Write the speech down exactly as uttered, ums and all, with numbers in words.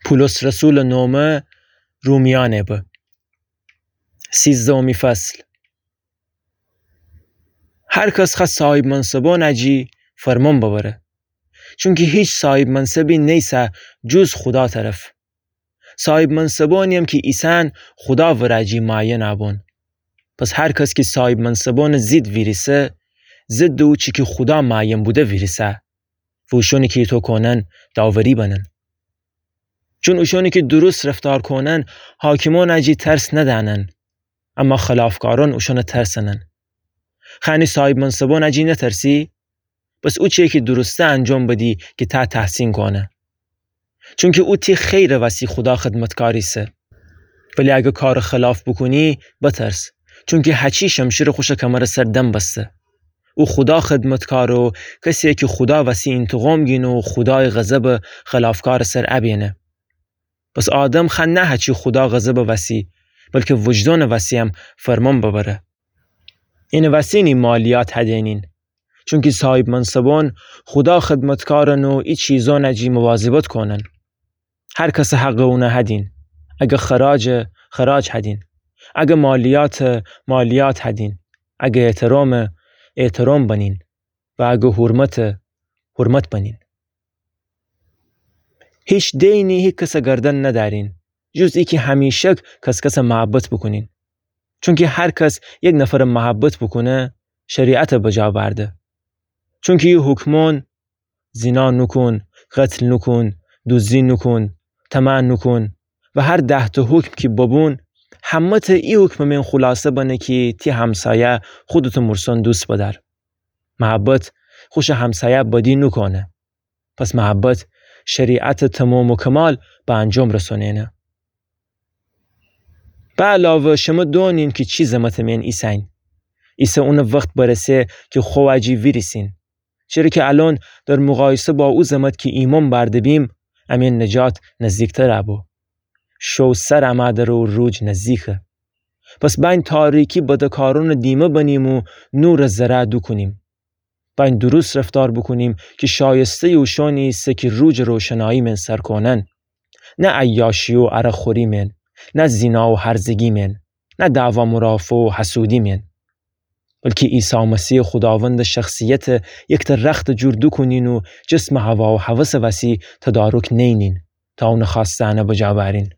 پولس رسولٚ نومه رومیأنه به. سیزدهمی فصل. هر کس خأ صاحیب منصبأنٚ جی فرمأن ببره. چونکی هیچ صاحیب منصبی نیسه جز خودا طرف. صاحیب منصبأنی‌یم کی ایسن خودا ورجه جی معینَ بون. پس هر کس کی صاحیب منصبأنٚ ضد ویریسه، ضدٚ او چی کی خودا معین بوده ویریسه. و اوشأنی کی ایتو کونن داوری بنن. چون اوشأنی کی درست رفتار کونن حاکمأنٚ جی ترس ندأنن، اما خلافکارأن اوشأنَ ترسنن. خأ انی صاحیب منصبأنٚ جی نترسی؟ پس او چیی کی درسته انجام بدی کی تأ تحسین کونه. چونکی او تی خیرٚ وسی خودا خدمتکار ایسه. ولی اگر کارٚ خلاف بوکونی، بترس. چونکی هچی شمشیرَ خوشٚ کمرٚ سر دم بسته. او خودا خدمتکاره و کسی‌یه کی خودا وسی اینتقام گینه و خودایٚ غضبَ خلافکارٚ سر ابینه. پس آدم خأ نه هچی خودا غضبٚ وسی، بلکی وجدانٚ وسی‌یم فرمأن ببره. اینٚ وسی نی مالیات هدینین. چونکی صاحیب منصبأن خودا خدمتکارن و ای چیزأنٚ جی مواظبت کونن. هر کسٚ حقٚ اونَ هدین. اگر خراجه، خراج هدین. اگر مالیاته، مالیات هدین. اگر احترامه، احترام بنین. و اگر حرمته، حرمت بنین. هیچ دینی هیکسٚ گردن ندأرین، جز ای کی همیشک کس‌کسَ محبت بوکونین. چونکی هر کس یک نفرَ محبت بوکونه، شریعتَ بجا بأرده. چونکی ای حکمأن، زنا نوکون، قتل نوکون، دوزدی نوکون، طمع نوکون و هر ده‌تأ حکم کی ببون، همه‌تَ ای حکمٚ مئن خلاصه بنه کی تی همسایه خودتٚ مورسأن دوست بدأر. محبت خوشٚ همسایه بدی نوکونه. پس محبت شریعتٚ تمام و کمال به انجام رسونینه. به علاوه شمه دونین کی چی زمتٚ مئن ایسین. ایسه اونٚ وخت برسه کی خوأ جی ویریسین. چره کی الأن در مقایسه با او زمت کی ایمأن بأرده بیم، امین نجات نزدیکتر بو. شو سر امه دره و روج نزدیکه. پس بأیین تاریکی بده‌کارأنٚ دیمه بنیم و نورٚ ذره دوکونیم. بأیین درست رفتار بوکونیم کی شایسته‌یٚ اوشأنی ایسه کی روجٚ روشنایی مئن سر کونن. نه عیاشی و عرق‌خوری مئن، نه زنا و هرزگی مئن، نه دعوا مرافعه و حسودی مئن. بلکی عیسی مسیحٚ خوداوندٚ شخصیتَ یکتأ رختٚ جور دوکونین و جسمٚ هوا و هوسٚ وسی تدارک نینین تا اونٚ خوأسته‌یأنَ بجا بأرین.